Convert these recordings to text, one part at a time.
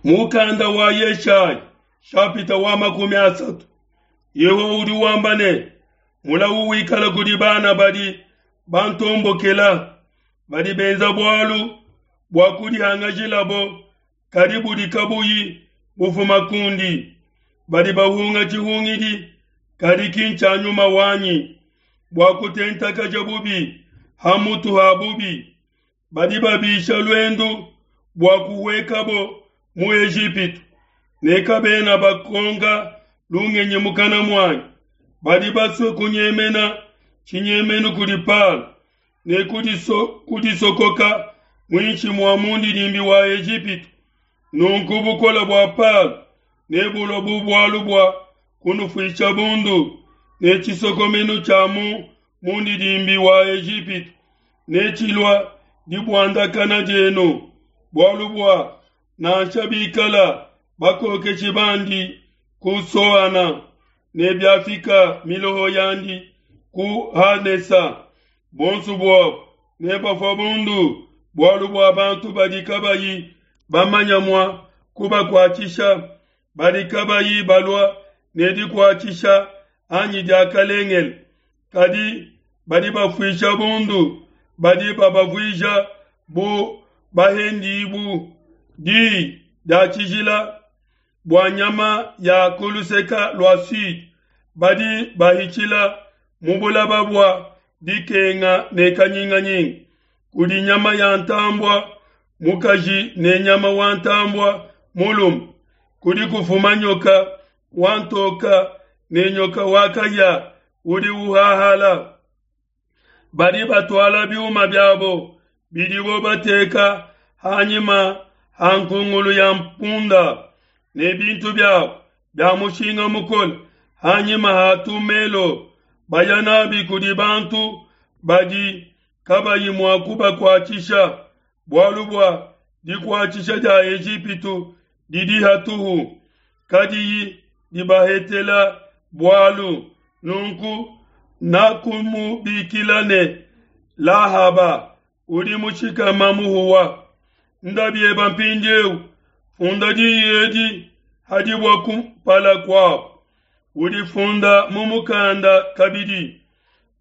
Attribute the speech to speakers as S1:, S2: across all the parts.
S1: Mukanda wa Yeshaya shapita wa 30. Yehowa udi wamba ne, mulawu wikala kudi bana badi bantombokela, badi benza bualu bua kudihangajilabo, kadi budi kabuyi bufuma kundi. Badi bahunga tshihungidi, kadi ki ntshia nyuma wanyi, bua kutentakaja bubi ha mutu ha bubi. Badi babisha luendu bua kuhuekabo mu Ejipitu, ne kabena bakonka lungenyi mukana muanyi. Badi basue kunyemena tshinyemenu kudi Palo, ne kudisokoka muinshi mua mundidimbi wa Ejipitu. Nunku bukole bua Palo nebulue bu bualu bua kunufuisha bundu, ne tshisokomenu tshia mu mundidimbi wa Ejipitu netshilua dibuandakana dienu, bualu bua nansha bikala bakokeshi bandi ku Soana, ne biafika miloho yandi ku Hanesa, bonso buabo nebafua bundu, bualu bua bantu badi kabayi bamanya mua kubakuatshisha, badi kabayi balua ne dikuatshisha anyi diakalengele, kadi badi bafuisha bundu, badi babavuija bu bahendibu diyi dia tshijila bua nyama ya ku luseka lua sud, badi bahitshila mu bulaba bua dikenga ne kanyinganyinga kudi nyama ya ntambua mukaji ne nyama wa ntambua mulume, kudi kufuma nyoka wa ntoka ne nyoka wa kahia udi uhahala. Badi batuala biuma biabo bidibo bateka hanyima ha nkungulu ya mpunda, ne bintu biabo bia mushinga mukole hanyima ha tumelo, baya nabi kudi bantu badi kabayi mua kubakuatshisha, bualu bua dikuatshisha dia Ejipitu didi hatuhu, kadiyi dibahetela bualu. Nunku nakumubikila ne Lahaba, udi mushikama muhuwa. Nda bieba mpindieu, funda diyi edi hadibua kumpala kuabo, udifunda mu mukanda kabidi,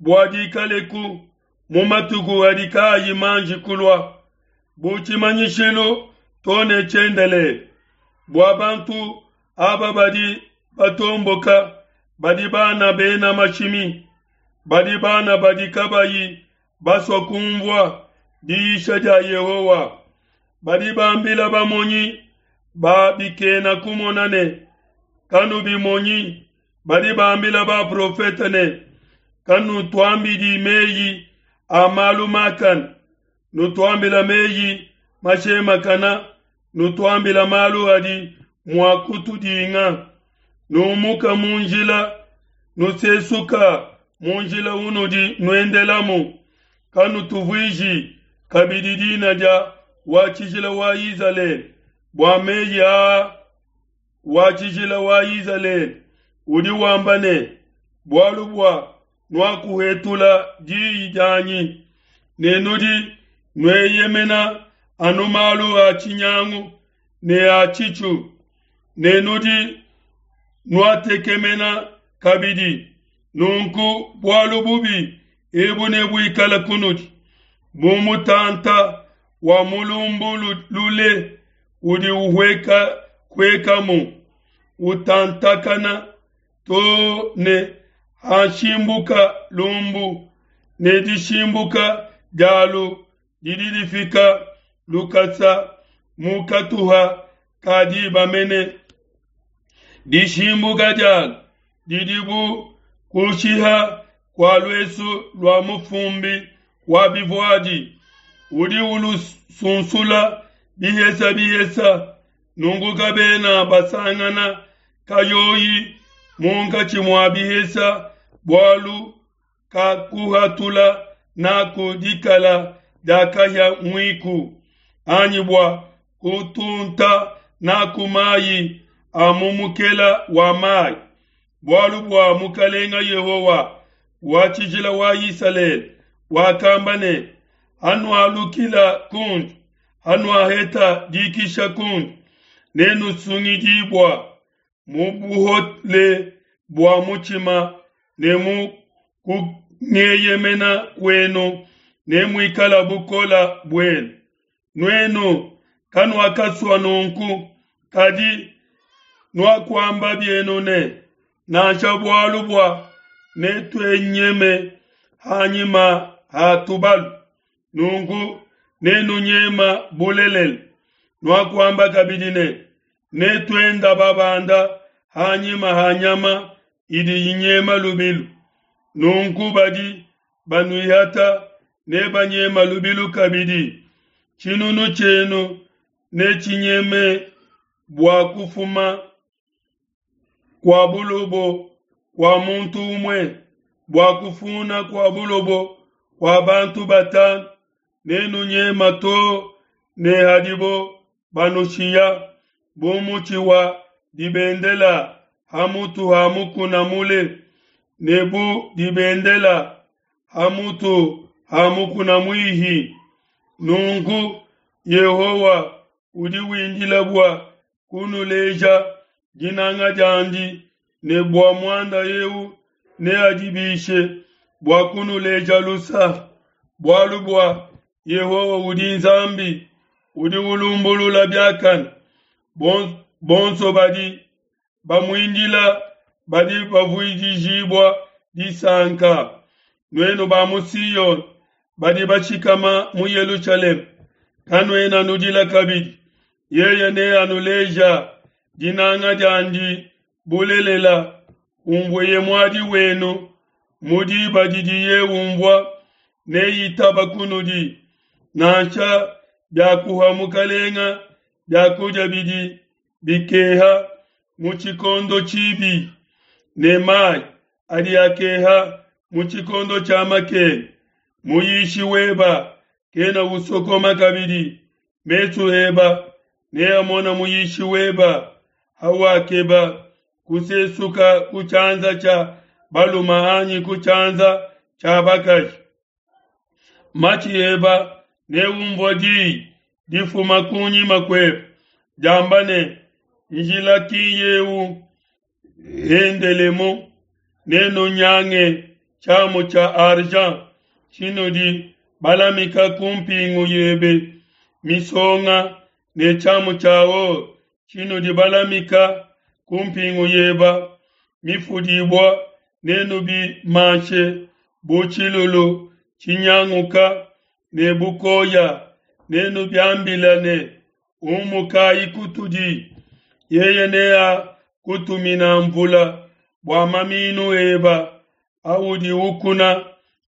S1: bua dikaleku mu matuku adi kaayi manji kulua, bu tshimanyishilu to ne tshiendelele, bua bantu aba badi batomboka, badi bana bena mashimi, badi bana badi kabayi basua kumvua diyisha dia Yehowa. Badi bambila bamonyi ba bikena kumona ne, kanubimonyi. Badi bambila baprofete ne, kanutuambidi meyi a malu makane, nutuambila meyi mashemakana, nutuambila malu adi mua kutudinga. Numuka mu njila, nusesuka mu njila unudi nuendelamu, kanutuvuiji kabidi dina dia wa tshijila wa Izalele, bua meyi aa wa tshijila wa Izalele udi wamba ne, bualu bua nuakuhetula diyi dianyi, ne nudi nueyemena anu malu a tshinyangu ne a tshitshu, ne nudi nuatekemena kabidi. Nunku bualu bubi ebu nebuikale kunudi bu mutanta wa mulumbu lule udi uhueka huekamu, utantakana to ne hashimbuka lumbu, ne dishimbuka dialu didi difika lukasa mu katuha ka diba mene. Dishimbuka dialu didi bu kushiha kua luesu lua mufumbi wa bivuadi udi ulusunsula bihesa bihesa, nunku kabena basangana kayoyi munkatshi mua bihesa, bualu kakuhatula naku dikala dia kahia muiku, anyi bua kutunta naku mayi a mu mukela wa mayi. Bualu bua Mukalenga Yehowa wa tshijila wa Isalele wakamba ne, hanualukila kundi, hanuaheta dikisha kundi, Nenusungidibua mu buhole bua mutshima ne mu kungeyemena kuenu nemuikala bukola buenu. Nuenu kanuakasua nunku, kadi nuakuamba bienu ne, Nansha bualu bua netuenyeme hanyima ha tubalu, nunku nenunyema bulelela. Nuakuamba kabidi ne, Netuenda babanda hanyima ha nyama idi inyema lubilu, nunku badi banuihata nebanyema lubilu kabidi. Tshinunu tshienu netshinyeme bua kufuma kua bulobo kua muntu umue, bua kufuna kua bulobo kua bantu batanu, nenunyema too ne hadibo banushiya bu mutshi wa dibendela ha mutu ha mukuna mule, ne bu dibendela ha mutu ha mukuna muihi. Nunku Yehowa udi windila bua kunuleja dinanga diandi, ne bua muanda eu neadibishe bua kunuleja lusa. Bualu bua Yehowa udi Nzambi udi ulumbulula biakane, bonso badi bamuindila badi bavuijibua disanka. Nuenu ba mu Siyone badi bashikama mu Yelushalema, kanuena nudila kabidi. Yeye neanuleja dinanga diandi bulelela, humvueye muadi wenu mu diba didiye umvua, neitaba kunudi. Nansha biakuha mukalenga biakudia bidi bikeha mu tshikondo tshibi, ne mayi adi akeha mu tshikondo tshia makenga, muyishi weba kena usokoma kabidi, mesu eba neamona muyishi weba hawakeba kusesuka ku tshianza tshia baluma anyi ku tshianza tshia bakaji. Matshi eba neumvua diyi difuma kunyima kuebe diamba ne, Njila ki yeu, endelemu, nenunyange tshiamu tshia argent tshinudi balamika ku mpingu yebe misonga ne tshiamu tshia or tshinudi balamika ku mpingu yeba mifudibua, nenubimanshe bu tshilulu tshinyanguka ne bukoya, nenubiambila ne, Umukayi kutudi. Yeye neakutumina mvula bua maminu eba audi ukuna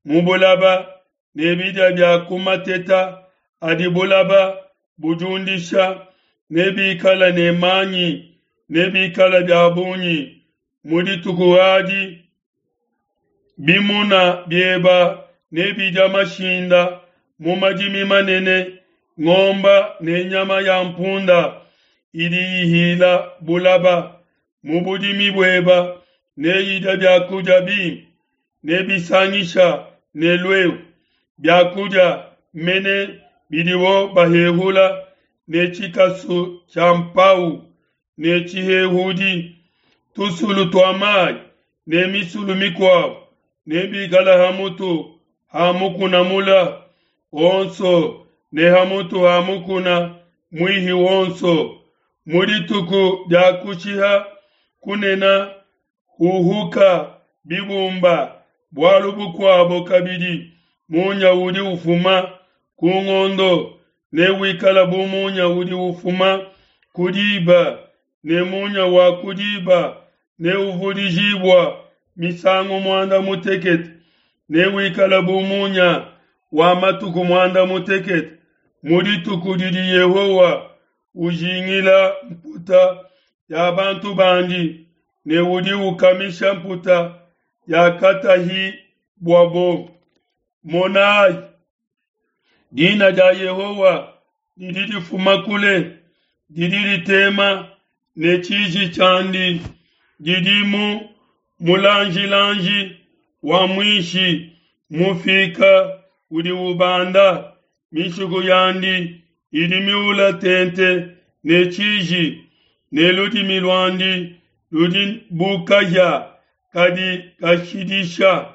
S1: mu bulaba, ne bidia bia ku mateta adi bulaba budiundisha nebikale ne manyi, nebikale bia bungi mu dituku adi. Bimuna bieba nebidia mashinda mu madimi manene, ngomba ne nyama ya mpunda idi ihila bulaba mu budimi bueba neyidia biakudia bimpe, nebisangisha ne luehu, biakudia mene bidibo bahehula ne tshikasu tshia mpau ne tshihehudi, tusulu tua mayi ne misulu mikuabo nebikala ha mutu ha mukuna mula wonso ne ha mutu ha mukuna muihi wonso. Mu dituku dia kushiha kunena huhuka bibumba, bualu bukuabo kabidi, munya udi ufuma ku ngondo newikala bu munya udi ufuma ku diba, ne munya wa ku diba neuvudijibua misangu muanda mutekete, newikala bu munya wa matuku muanda mutekete mu dituku didi Yehowa ujingila mputa ya bantu bandi ne udi ukamisha mputa yakatahibuabo. Monai, dina dia Yehowa didi difuma kule, didi ditema ne tshiji tshiandi, didi mu mulanjilanji wa muishi mufika udi ubanda, mishiku yandi idi miula tente ne tshiji. ne ludimi luandi ludi bu kahia kadi kashidisha.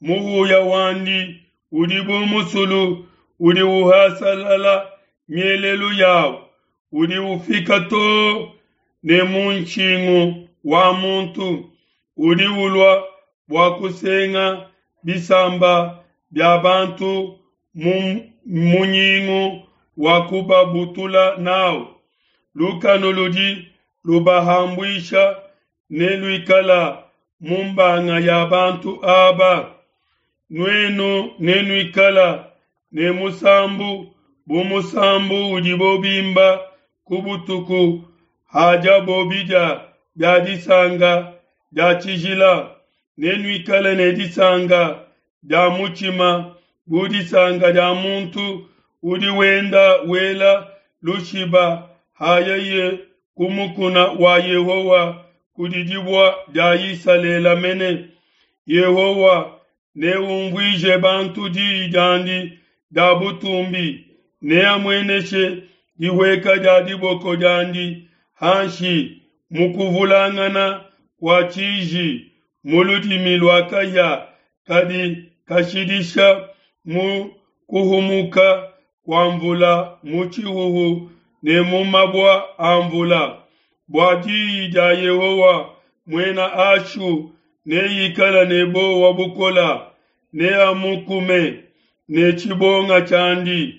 S1: Muhuya wandi udi bu musulu udi uhasalala mielelu yawu, udi ufika too ne mu nshingu wa muntu, udi ulua bua kusenga bisamba bia bantu mu munyingu wa kubabutula nawu. Lukanu ludi lubahambuisha neluikala mu mbanga ya bantu aba. Nuenu nenuikala ne musambu bu musambu udibo bimba ku butuku hadiabo bidia bia disanka dia tshijila. Nenuikale ne disanka dia mutshima bu disanka dia muntu udi wenda wela lushiba hayeye ku mukuna wa Yehowa kudi dibue dia Isalele mene. Yehowa neumvuije bantu diyi diandi dia butumbi, neamueneshe dihueka dia diboko diandi hanshi mu kuvulangana kua tshiji, mu ludimi lua kahia kadi kashidisha, mu kuhumuka kua mvula mu tshihuhu ne mu mabua a mvula. Bua diyi dia Yehowa muena Ashu neikale ne buowa bukole, neamukume ne tshibonga tshiandi.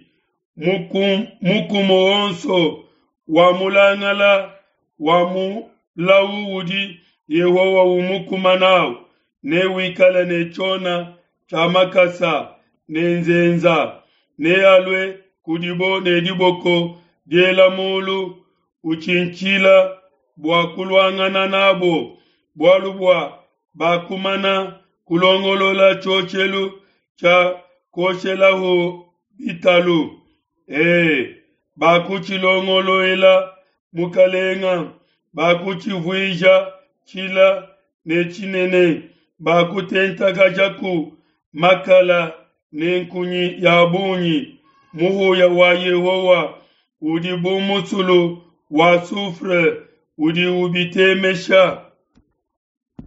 S1: Mukumu wonso wa mulangala wa mulawu udi Yehowa umukuma nawu newikale ne tshiona tshia makasa ne nzenza. Nealue kudibo ne diboko diela mulu utshintshila bua kuluangana nabo, bualu bua bakumana kulongolola tshioshelu tshia kuoshelahu bitalu. E, bakutshilongoluela mukalenga, bakutshivuija tshila ne tshinene, bakutentakajaku makala ne nkunyi ya bungi. Muhuya wa Yehowa udi bu musulu wa soufre udi ubitemesha.